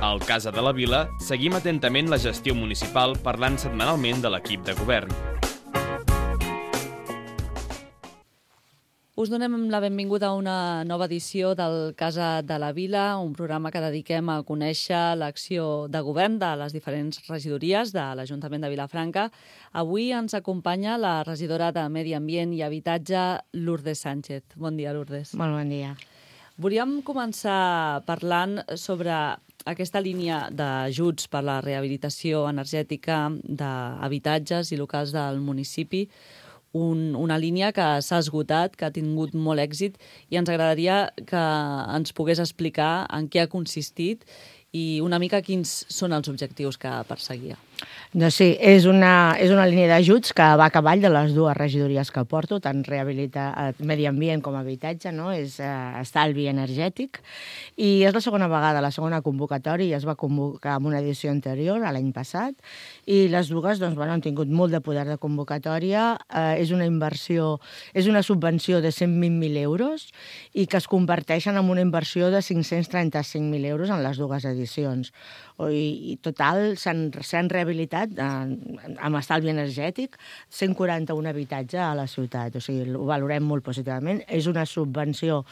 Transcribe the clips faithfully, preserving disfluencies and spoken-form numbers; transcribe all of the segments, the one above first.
Al Casa de la Vila seguim atentament la gestió municipal parlant setmanalment de l'equip de govern. Us donem la benvinguda a una nova edició del Casa de la Vila, un programa que dediquem a conèixer l'acció de govern de les diferents regidories de l'Ajuntament de Vilafranca. Avui ens acompanya la regidora de Medi Ambient i Habitatge, Lourdes Sánchez. Bon dia, Lourdes. Molt bon dia. Volíem començar parlant sobre aquesta línia d'ajuts per a la rehabilitació energètica d'habitatges i locals del municipi, Un, una línia que s'ha esgotat, que ha tingut molt èxit, i ens agradaria que ens pogués explicar en què ha consistit i una mica quins són els objectius que perseguia. Doncs sí, és una, és una línia d'ajuts que va a cavall de les dues regidories que porto, tant rehabilitar medi ambient com habitatge, no? És uh, estalvi energètic, i és la segona vegada, la segona convocatòria, es va convocar en una edició anterior, l'any passat, i les dues doncs, bueno, han tingut molt de poder de convocatòria. Uh, és una inversió, és una subvenció de cent vint mil euros i que es converteixen en una inversió de cinc-cents trenta-cinc mil euros en les dues edicions. I, i total s'han rehabilitat eh, amb estalvi energètic cent quaranta-un habitatges a la ciutat, o sigui, ho valorem molt positivament. És una subvenció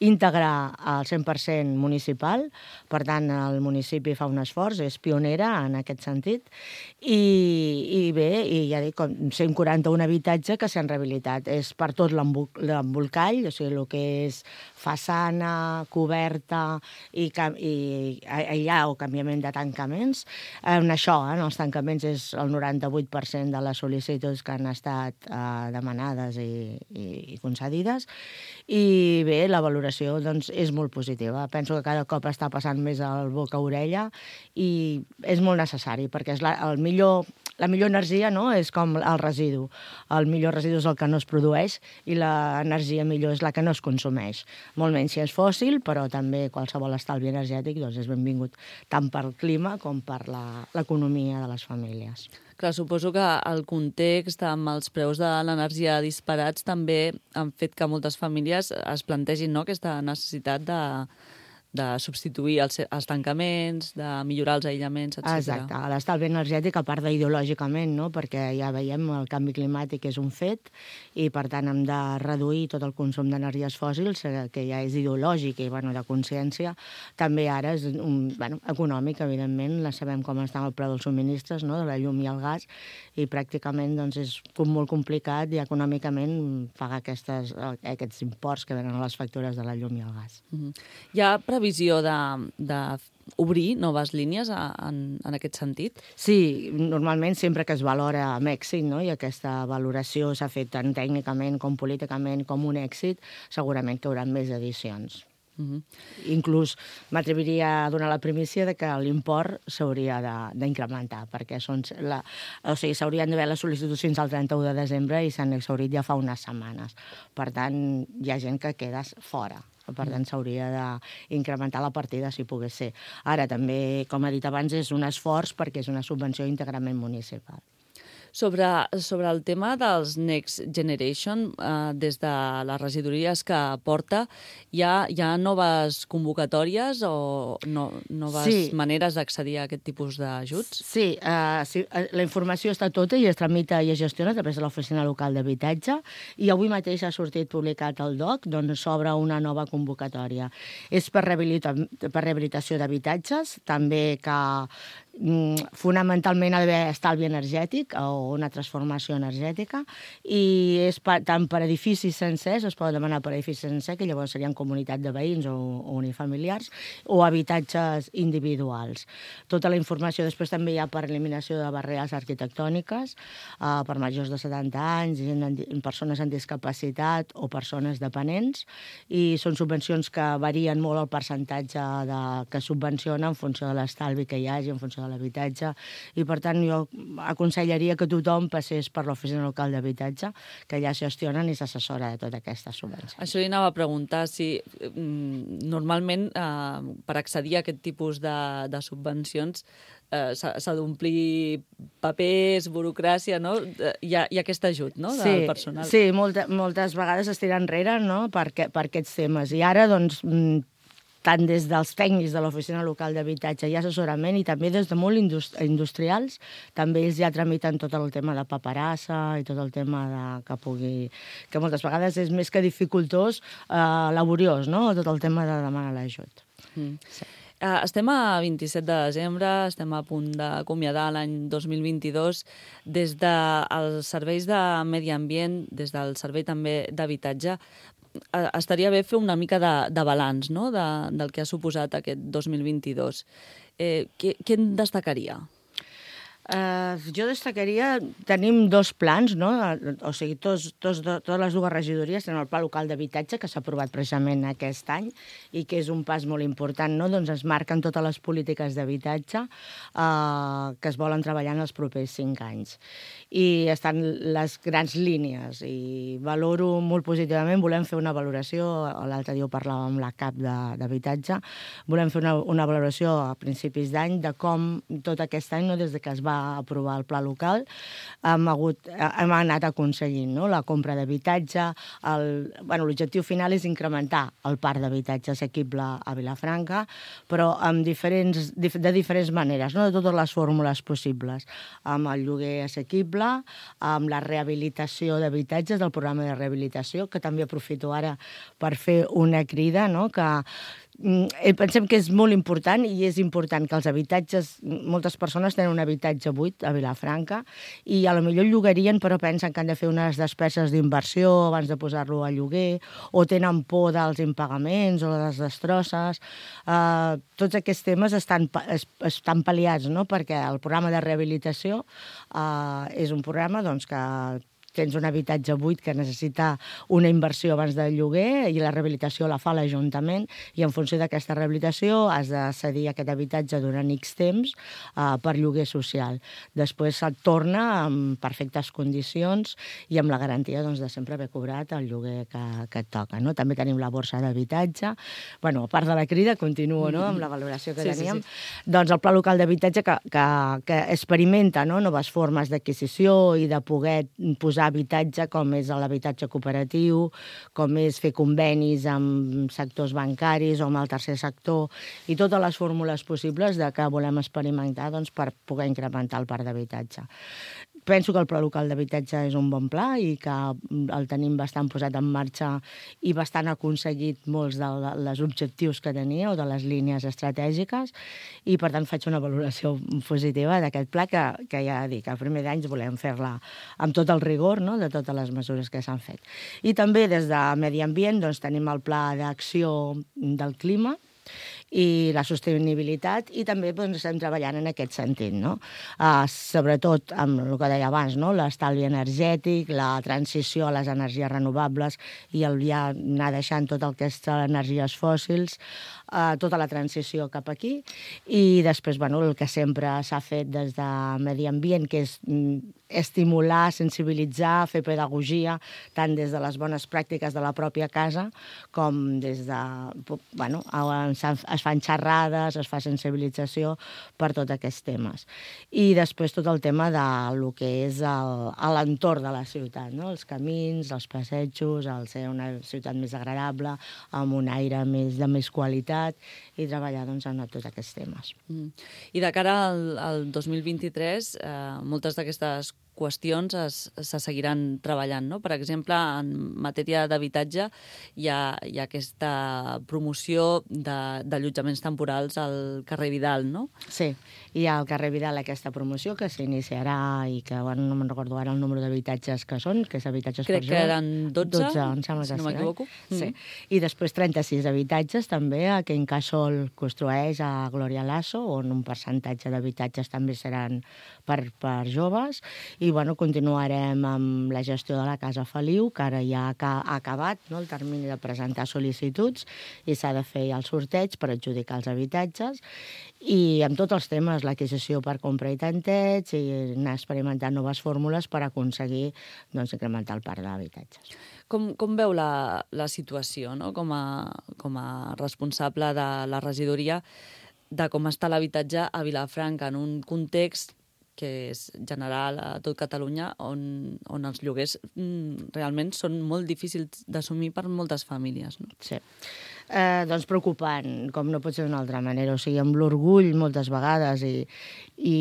íntegra al cent per cent municipal, per tant el municipi fa un esforç, és pionera en aquest sentit, i, i bé, i ja dic, cent quaranta-un habitatges que s'han rehabilitat. És per tot l'embolcall, o sigui, el que és façana, coberta i, i allà o canviament de tancaments. En això, en els tancaments, és el noranta-vuit per cent de les sol·licituds que han estat eh, demanades i, i, i concedides. I bé, la valoració doncs, és molt positiva. Penso que cada cop està passant més al boca a orella i és molt necessari, perquè és la, el millor, la millor energia, no? És com el residu. El millor residu és el que no es produeix i l'energia millor és la que no es consumeix. Molt menys si és fòssil, però també qualsevol estalvi energètic doncs, és benvingut tant pel clima com per l'economia de les famílies. Clar, suposo que el context amb els preus de l'energia disparats també han fet que moltes famílies es plantegin, no?, aquesta necessitat de, de substituir els, els tancaments, de millorar els aïllaments, etcètera. Exacte. L'estalvi energètic, a part d'ideològicament, no?, perquè ja veiem el canvi climàtic és un fet i, per tant, hem de reduir tot el consum d'energies fòssils, que ja és ideològic i, bueno, de consciència. També ara és un, bueno, econòmic, evidentment, la sabem com està el preu dels subministres, no?, de la llum i el gas, i pràcticament doncs, és molt complicat i econòmicament pagar aquestes, aquests imports que venen a les factures de la llum i el gas. Mm-hmm. Hi ha previsió de, de obrir noves línies a, en, en aquest sentit? Sí, normalment sempre que es valora amb èxit, no?, i aquesta valoració s'ha fet tant tècnicament com políticament com un èxit, segurament que hi haurà més edicions. Uh-huh. Inclús m'atreviria a donar la primícia de que l'import s'hauria d'incrementar, perquè són la, o sigui, s'haurien d'haver les sol·licituds fins al trenta-u de desembre i s'han exhaurit ja fa unes setmanes. Per tant, hi ha gent que queda fora. Per tant, s'hauria d'incrementar la partida si pogués ser. Ara, també, com he dit abans, és un esforç perquè és una subvenció íntegrament municipal. Sobre, sobre el tema dels Next Generation, eh, des de les regidories que porta, hi ha, hi ha noves convocatòries o no, noves sí. maneres d'accedir a aquest tipus d'ajuts? Sí, eh, sí, la informació està tota i es tramita i es gestiona a través de l'oficina local d'habitatge, i avui mateix ha sortit publicat el D O C, d'on s'obre una nova convocatòria. És per, rehabilita, per rehabilitació d'habitatges, també que fonamentalment ha d'haver estalvi energètic o una transformació energètica, i és per, tant per edificis sencers, es pot demanar per edificis sencers, que llavors serien comunitat de veïns o, o unifamiliars, o habitatges individuals. Tota la informació després també hi ha per eliminació de barreres arquitectòniques, eh, per majors de setanta anys, persones amb discapacitat o persones dependents, i són subvencions que varien molt el percentatge de, que subvenciona en funció de l'estalvi que hi hagi, en funció de l'habitatge, i per tant jo aconsellaria que tothom passés per l'oficina local d'habitatge, que ja gestionen i s'assessora de tota aquesta subvenció. Això li anava a preguntar si mm, normalment eh, per accedir a aquest tipus de, de subvencions eh, s'ha d'omplir papers, burocràcia, no? Hi ha, hi ha aquest ajut, no?, del sí, personal. Sí, molta, moltes vegades es tira enrere, no?, per, per aquests temes. I ara, doncs, tant des dels tècnics de l'Oficina Local d'Habitatge i assessorament, i també des de molt indust industrials, també ells ja tramiten tot el tema de paperassa i tot el tema de, que pugui... que moltes vegades és més que dificultós, eh, laboriós, no?, tot el tema de demanar l'ajut. Mm. Sí. Uh, estem a vint-i-set de desembre, estem a punt d'acomiadar l'any dos mil vint-i-dos. Des dels serveis de medi ambient, des del servei també d'habitatge, uh, estaria bé fer una mica de, de balanç, no?, de, del que ha suposat aquest dos mil vint-i-dos. Eh, què, què en destacaria? Uh, jo destacaria, tenim dos plans, no? O sigui, tots, tots, totes les dues regidories tenen el Pla Local d'Habitatge, que s'ha aprovat precisament aquest any i que és un pas molt important, no? Doncs es marquen totes les polítiques d'habitatge uh, que es volen treballar en els propers cinc anys. I estan les grans línies i valoro molt positivament, volem fer una valoració, l'altre dia ho parlàvem amb la cap d'habitatge, volem fer una, una valoració a principis d'any de com tot aquest any, no, des de que es va aprovar el pla local, hem, hagut, hem anat aconseguint, no?, la compra d'habitatge. Bueno, l'objectiu final és incrementar el parc d'habitatge assequible a Vilafranca, però amb diferents, de diferents maneres, no?, de totes les fórmules possibles, amb el lloguer assequible, amb la rehabilitació d'habitatges, del programa de rehabilitació, que també aprofito ara per fer una crida, no?, que pensem que és molt important i és important que els habitatges, moltes persones tenen un habitatge buit a Vilafranca i a lo millor llogarien però pensen que han de fer unes despeses d'inversió abans de posar-lo a lloguer o tenen por dels impagaments o de les destrosses. Uh, tots aquests temes estan, es, estan pal·liats, no?, perquè el programa de rehabilitació uh, és un programa doncs, que tens un habitatge buit que necessita una inversió abans del lloguer i la rehabilitació la fa l'Ajuntament i en funció d'aquesta rehabilitació has de cedir aquest habitatge durant X temps uh, per lloguer social. Després se't torna en perfectes condicions i amb la garantia doncs, de sempre haver cobrat el lloguer que, que et toca. No? També tenim la borsa d'habitatge. Bueno, a part de la crida, continuo no? amb la valoració que sí, teníem. Sí, sí. Doncs el Pla Local d'Habitatge que, que, que experimenta no? noves formes d'adquisició i de poder posar habitatge, com és l'habitatge cooperatiu, com és fer convenis amb sectors bancaris o amb el tercer sector, i totes les fórmules possibles de que volem experimentar doncs, per poder incrementar el parc d'habitatge. Penso que el Pla Local d'Habitatge és un bon pla i que el tenim bastant posat en marxa i bastant aconseguit molts dels objectius que tenia o de les línies estratègiques i, per tant, faig una valoració positiva d'aquest pla que, que ja dic, a primer d'any volem fer-la amb tot el rigor no? de totes les mesures que s'han fet. I també des de Medi Ambient doncs, tenim el Pla d'Acció del Clima i la sostenibilitat, i també doncs, estem treballant en aquest sentit, no? Uh, sobretot amb el que deia abans, no? L'estalvi energètic, la transició a les energies renovables i el ja anar deixant tot el que és energies fòssils, uh, tota la transició cap aquí, i després bueno, el que sempre s'ha fet des de Medi Ambient, que és mm, estimular, sensibilitzar, fer pedagogia, tant des de les bones pràctiques de la pròpia casa com des de... Bueno, es fan xerrades, es fa sensibilització per tots aquests temes. I després tot el tema de lo que és l'entorn de la ciutat, no? Els camins, els passejos, el ser una ciutat més agradable, amb un aire més, de més qualitat, i treballar doncs, en tots aquests temes. Mm. I de cara al, al dos mil vint-i-tres, eh, moltes d'aquestes qüestions es, se seguiran treballant, no? Per exemple, en matèria d'habitatge hi ha, hi ha aquesta promoció d'allotjaments temporals al carrer Vidal, no? Sí, hi ha al carrer Vidal aquesta promoció que s'iniciarà i que, bueno, no me'n recordo ara el número d'habitatges que són, que és habitatges Crec per que eren dotze, dotze em sembla que si no m'equivoco. Sí. Mm. I després trenta-sis habitatges també que Incasòl construeix a Glòria Lasso, on un percentatge d'habitatges també seran per, per joves. I bueno, continuarem amb la gestió de la Casa Feliu, que ara ja ha acabat no, el termini de presentar sol·licituds i s'ha de fer el sorteig per adjudicar els habitatges. I amb tots els temes, l'adquisició per compra i tanteig, i anar experimentant noves fórmules per aconseguir doncs, incrementar el parc d'habitatges. Com, com veu la, la situació no? com, a, com a responsable de la regidoria de com està l'habitatge a Vilafranca en un context que és general a tot Catalunya, on, on els lloguers mm, realment són molt difícils d'assumir per moltes famílies. No? Sí. Eh, doncs preocupant, com no pot ser d'una altra manera. O sigui, amb l'orgull moltes vegades i, i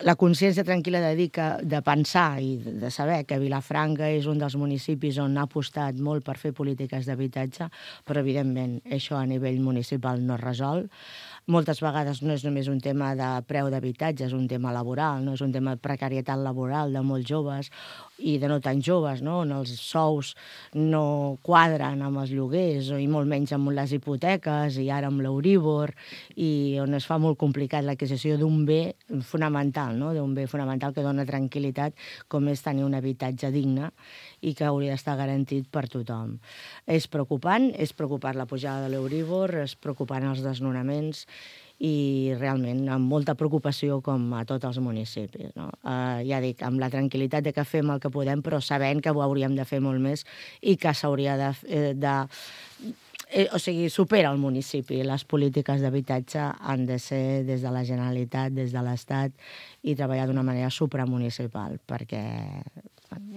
la consciència tranquil·la de dir que, de pensar i de saber que Vilafranca és un dels municipis on ha apostat molt per fer polítiques d'habitatge, però evidentment això a nivell municipal no es resol. Moltes vegades no és només un tema de preu d'habitatge, és un tema laboral, no és un tema de precarietat laboral de molts joves i de no tan joves, no? On els sous no quadren amb els lloguers i molt menys amb les hipoteques i ara amb l'Euríbor, i on es fa molt complicat l'adquisició d'un bé fonamental, no? D'un bé fonamental que dona tranquil·litat, com és tenir un habitatge digne i que hauria d'estar garantit per tothom. És preocupant, és preocupant la pujada de l'Euríbor, és preocupant els desnonaments i realment amb molta preocupació com a tots els municipis. No? Eh, ja dic, amb la tranquil·litat de que fem el que podem, però sabent que ho hauríem de fer molt més i que s'hauria de... de eh, o sigui, supera el municipi. Les polítiques d'habitatge han de ser des de la Generalitat, des de l'Estat, i treballar d'una manera supramunicipal, perquè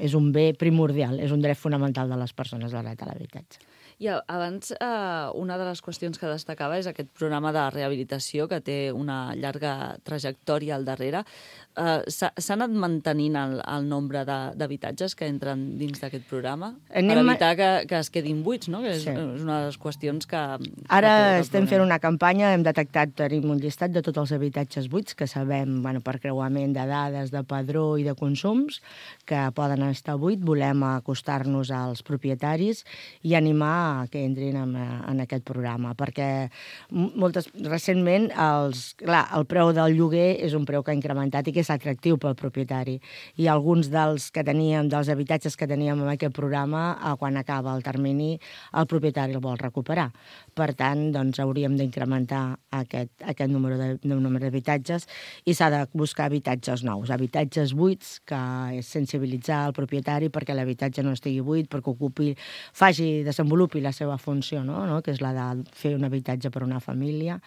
és un bé primordial, és un dret fonamental de les persones, el dret a l'habitatge. I abans, eh, una de les qüestions que destacava és aquest programa de rehabilitació que té una llarga trajectòria al darrere. Eh, S'ha anat mantenint el, el nombre d'habitatges que entren dins d'aquest programa? Anem per evitar que, que es quedin buits, no? Que és, sí. és una de les qüestions que... Ara que estem fent una campanya, hem detectat, tenim un llistat de tots els habitatges buits que sabem, bueno, per creuament de dades, de padró i de consums, que poden estar buits. Volem acostar-nos als propietaris i animar que entrin en, en aquest programa, perquè moltes, recentment els, clar, el preu del lloguer és un preu que ha incrementat i que és atractiu pel propietari. I alguns dels que teníem, dels habitatges que teníem en aquest programa, quan acaba el termini, el propietari el vol recuperar. Per tant, doncs, hauríem d'incrementar aquest, aquest número de, de número d'habitatges i s'ha de buscar habitatges nous, habitatges buits, que és sensibilitzar el propietari perquè l'habitatge no estigui buit, perquè ocupi, faci, desenvolupi la seva funció, no? No? Que és la de fer un habitatge per a una família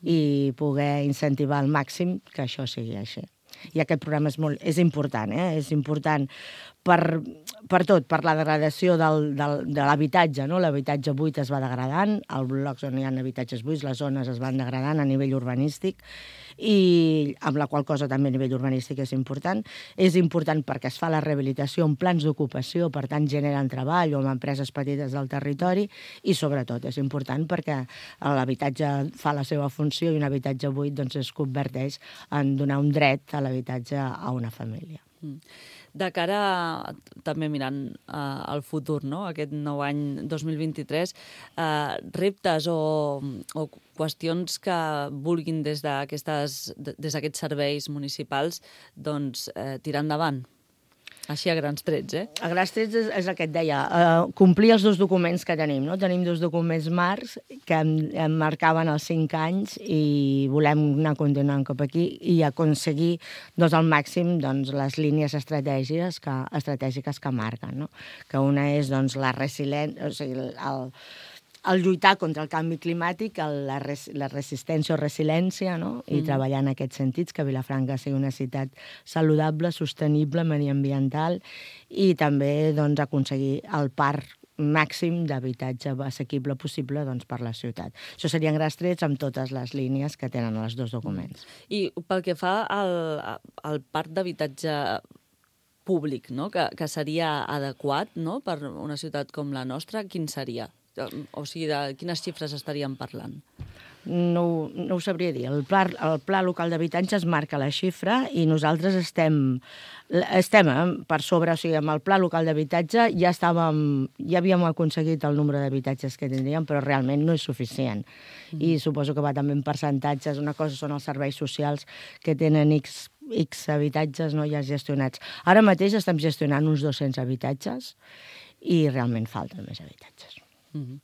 i poder incentivar al màxim que això sigui així. I aquest programa és, molt, és important, eh? És important per, per tot, per la degradació del, del, de l'habitatge, no? L'habitatge buit es va degradant, els blocs on hi ha habitatges buits, les zones es van degradant a nivell urbanístic, i amb la qual cosa també a nivell urbanístic és important. És important perquè es fa la rehabilitació amb plans d'ocupació, per tant generen treball o amb empreses petites del territori, i sobretot és important perquè l'habitatge fa la seva funció i un habitatge buit doncs, es converteix en donar un dret a l'habitatge a una família. De cara, també mirant uh, al futur, no? Aquest nou any dos mil vint-i-tres, uh, reptes o, o qüestions que vulguin des d'aquests serveis municipals doncs, eh, tirar endavant? Així a grans trets, eh? A grans trets és, és el que et deia, uh, complir els dos documents que tenim, no? Tenim dos documents marcs que em, em marcaven els cinc anys i volem anar continuant cap aquí i aconseguir doncs, al màxim doncs, les línies estratègiques que, estratègiques que marquen, no? Que una és doncs, la resiliència, o sigui, el, el lluitar contra el canvi climàtic, el, la, res, la resistència o resiliència, no? I mm. treballar en aquests sentits, que Vilafranca sigui una ciutat saludable, sostenible, mediambiental, i també doncs, aconseguir el parc màxim d'habitatge assequible possible doncs, per la ciutat. Això serien grans trets amb totes les línies que tenen els dos documents. I pel que fa al, al parc d'habitatge públic, no? que, que seria adequat, no? Per una ciutat com la nostra, quin seria? O sigui, de quines xifres estaríem parlant? No, no ho sabria dir. El pla, el pla local d'habitatge es marca la xifra i nosaltres estem, estem per sobre, o sigui, amb el pla local d'habitatge ja estàvem, ja havíem aconseguit el nombre d'habitatges que tindríem, però realment no és suficient. Mm. I suposo que va també en percentatges. Una cosa són els serveis socials que tenen X, X habitatges no, ja gestionats. Ara mateix estem gestionant uns dos-cents habitatges i realment falten més habitatges. Mm-hmm.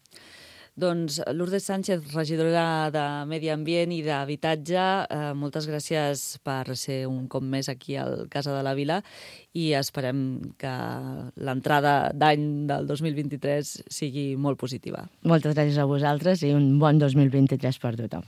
Doncs Lourdes Sánchez, regidora de Medi Ambient i d'Habitatge, eh, moltes gràcies per ser un cop més aquí al Casa de la Vila i esperem que l'entrada d'any del dos mil vint-i-tres sigui molt positiva. Moltes gràcies a vosaltres i un bon dos mil vint-i-tres per tothom.